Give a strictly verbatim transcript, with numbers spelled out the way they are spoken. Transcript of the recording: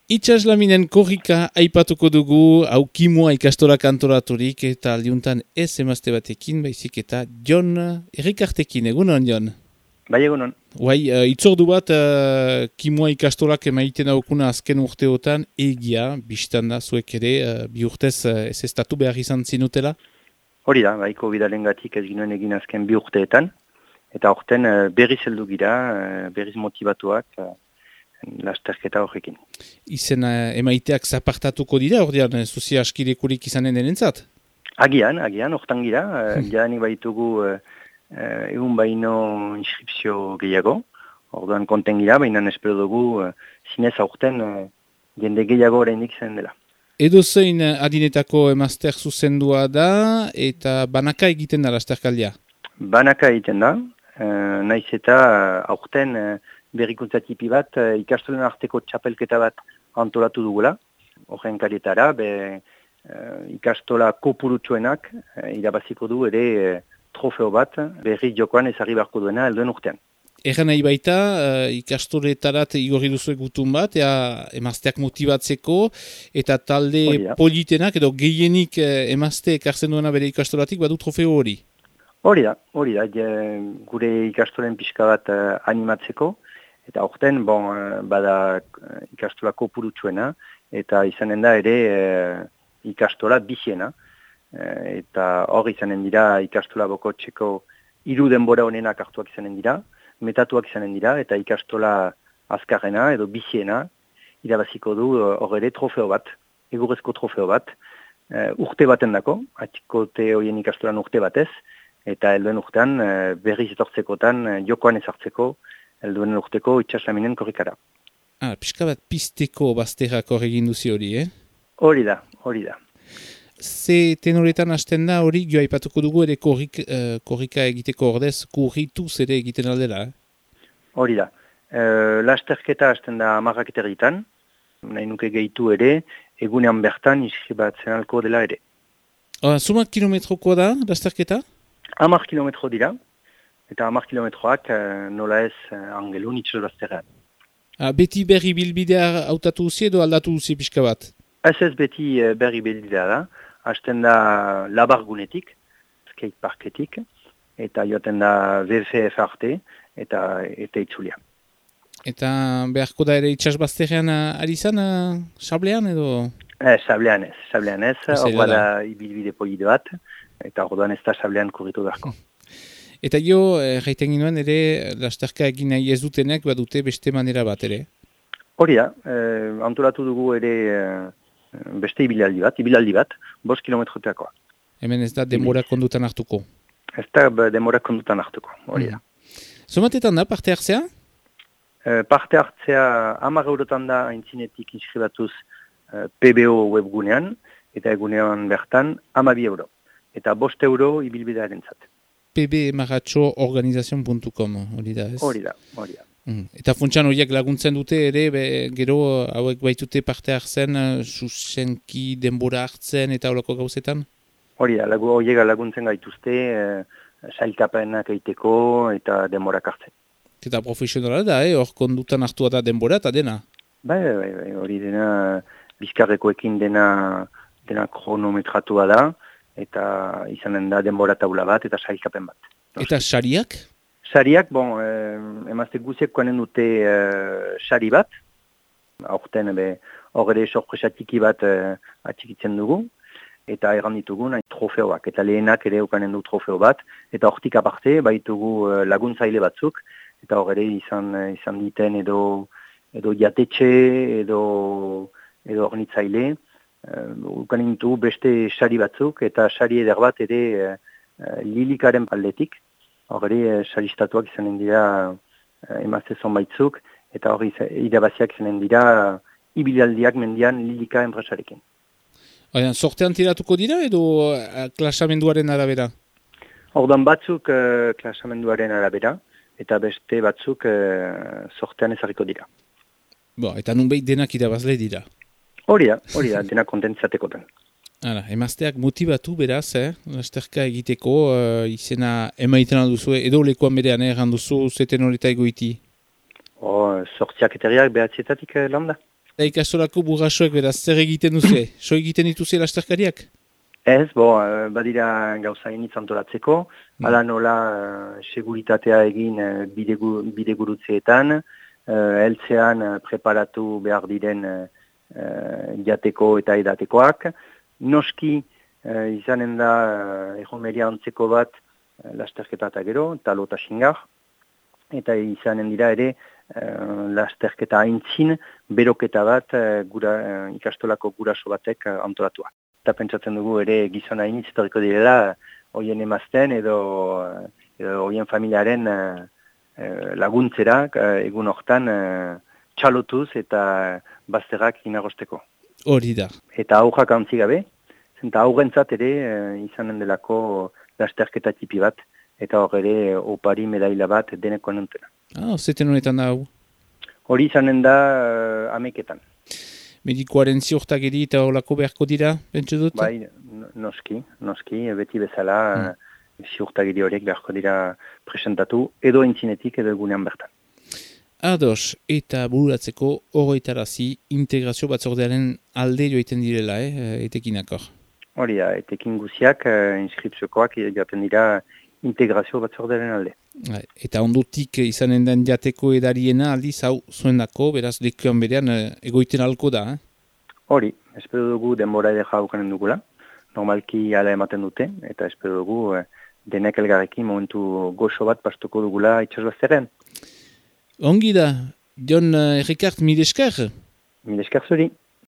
Itsaslaminen korrika aipatuko dugu, hau kimua ikastola kantoraturik eta aldiuntan ez emazte batekin, baizik eta Jon Errikartekin, egunon Jon? Bai egunon. Bai, uh, itzordu bat uh, kimua ikastolak emaiten daukuna azken urteotan egia, biztan da zuek ere, uh, bi urtez uh, ez estatu behar izan zinutela? Hori da, baiko bidalengatik ez ginoen egin azken bi urteetan, eta horten uh, berriz heldu gira, uh, berriz motivatuak, uh, lasterketa horrekin. Izen uh, emaiteak zapartatuko dira, ordean zuzi askirekurik izanen denentzat? Agian, agian, hortan gira, uh, jadanik baitugu uh, uh, egun baino inskripzio gehiago, orduan konten gira, baina espero dugu uh, zinez aurten uh, jende gehiago oraindik zen dela. Edo zein adinetako emazter zuzendua da, eta banaka egiten da lasterkaldia? Banaka egiten da, uh, naiz eta uh, aurten uh, berrikuntza tipi bat, uh, ikastolen arteko txapelketa bat antolatu dugula. Horren karietara, be, uh, ikastola kopurutsuenak uh, irabaziko du ere uh, trofeo bat, berri jokoan ezarri beharko duena helduen urtean. Egan nahi baita, uh, ikastoletarat igorri duzu gutun bat, ea, emazteak motibatzeko, eta talde politenak, edo gehienik uh, emazte ekartzen duena bere ikastolatik, badu trofeo hori? Hori da, hori da, je, gure ikastolen pixka bat uh, animatzeko, eta horten, bon, uh, bada uh, ikastola kopurutsuena, eta izanen da ere uh, ikastola biziena, uh, eta hor izanen dira ikastola bokotxeko hiru denbora honenak hartuak izanen dira, metatuak izanen dira, eta ikastola azkarrena edo biziena irabaziko du hor ere trofeo bat, egurrezko trofeo bat, uh, urte baten dako, atikote horien ikastolan urte batez, eta helduen urtean uh, berriz etortzekotan uh, jokoan ezartzeko helduen urteko itsaslaminen korrikara. Ah, pixka bat pisteko bazterrako egin duzi hori, eh? Hori da, hori da. Ze tenoretan hasten da hori, joa ipatuko dugu ere korrik, uh, korrika egiteko ordez, kurrituz ere egiten aldela, eh? Hori da. Uh, lasterketa hasten da amarrak eterritan, nahi nuke gehitu ere, egunean bertan iskribatzen alko dela ere. Ah, sumak kilometroko da, lasterketa? Amar kilometro dira, eta amar kilometroak uh, nola ez uh, angelun itxas bazterrean. Ah, beti berri bilbidea hautatu duzi edo aldatu duzi pixka bat? Ez ez beti uh, berri bilbidea da, hasten da labargunetik, skateparketik, eta joaten da V F F arte, eta, eta itzulia. Eta beharko da ere itxas bazterrean ari zan, uh, sablean edo? Eh, sablean ez, sablean ez, hor bada ibilbide polide bat, eta orduan ez da sablean kurritu beharko. Eta jo, jaiten ginoen ere, lasterka egin nahi ez dutenek, badute beste manera bat ere? Hori da, eh, antolatu dugu ere eh, beste ibilaldi bat, ibilaldi bat, bost kilometroteakoa. Hemen ez da denbora kondutan hartuko? Ez da denbora kondutan hartuko, hori da. Mm. Zomatetan da, parte hartzea? Eh, parte hartzea hamar eurotan da aintzinetik inskribatuz eh, P B O webgunean, eta egunean bertan hamabi euro. Eta bost euro ibilbidearen zat. p b maratxo organizazion puntu com, hori da ez? Hori da, hori da. Mm. Eta funtsan horiek laguntzen dute ere, be, gero hauek baitute parte hartzen, susenki denbora hartzen eta horako gauzetan? Hori da, lagu, horiek laguntzen gaituzte, eh, sailkapenak egiteko eta denborak hartzen. Eta profesionala da, eh? Hor kondutan hartua da denbora eta dena? Bai, bai, bai, hori dena, bizkarrekoekin dena, dena kronometratua da, eta izanen da denbora taula bat, eta sailkapen bat. Eta sariak? Sariak, bon, eh, emazte guziek koanen dute eh, sari bat, aurten hor ere sorpresa tiki bat eh, atxikitzen dugu, eta erran ditugu nahi trofeoak, eta lehenak ere okanen du trofeo bat, eta hortik aparte baitugu eh, laguntzaile batzuk, eta hor ere izan, izan diten edo, edo jatetxe, edo, edo ornitzaile, ukanen uh, beste sari batzuk, eta sari eder bat ere uh, lilikaren paldetik. Hor ere, uh, saristatuak izanen dira uh, emazte zonbaitzuk, eta hori irabaziak izanen dira uh, ibilaldiak mendian lilika enpresarekin. Oian, sortean tiratuko dira edo uh, klasamenduaren arabera? Ordan batzuk uh, klasamenduaren arabera, eta beste batzuk uh, sortean ezarriko dira. Bo, eta nunbait denak irabazle dira? Hori da, hori da, dena kontentzatekotan. Hala, emazteak motibatu beraz, eh? Lasterka egiteko, uh, izena emaiten alduzu, edo lekuan berean erran duzu, zeten horreta egoiti? Oh, sortziak eteriak behatzietatik eh, landa. Eta ikastolako burrasoek beraz, zer egiten duzu? So egiten dituzu lasterkariak? Ez, bo, badira gauza initz antolatzeko, mm. ala nola uh, seguritatea egin uh, bidegu, bidegurutzeetan, uh, eltzean uh, preparatu behar diren uh, jateko eta edatekoak. Noski uh, izanen da uh, egomeria antzeko bat uh, lasterketa eta gero, talo eta xingar, eta izanen dira ere uh, lasterketa aintzin beroketa bat uh, gura, uh, ikastolako guraso batek uh, antolatua. Eta pentsatzen dugu ere gizona initz etorriko direla hoien emazten edo, edo hoien familiaren uh, laguntzera uh, egun hortan uh, txalotuz eta bazterrak inagosteko. Hori da. Eta aurrak antzi gabe, zenta aurrentzat ere uh, izanen delako lasterketa tipi bat, eta hor ere opari medaila bat deneko nentena. Ah, zeten honetan da hau? Hori izanen da uh, ameketan. Medikoaren ziurtagiri eta holako beharko dira, bentsu dut? Bai, noski, noski, beti bezala hmm. ziurtagiri horiek beharko dira presentatu, edo entzinetik edo egunean bertan. Ados, eta bururatzeko horretarazi integrazio batzordearen alde joiten direla, eh, etekinakor? Hori da, etekin guziak, eh, inskripziokoak jaten dira integrazio batzordearen alde. Eta ondutik izanen den jateko edariena aldiz hau zuendako, beraz lekuan berean egoiten alko da, eh? Hori, espero dugu denbora ere jaukanen dugula, normalki ala ematen dute, eta espero dugu eh, denek elgarrekin momentu goxo bat pastuko dugula itxasbazteren. Ongi da, Jon Errikart, mil esker? Mil esker zuri.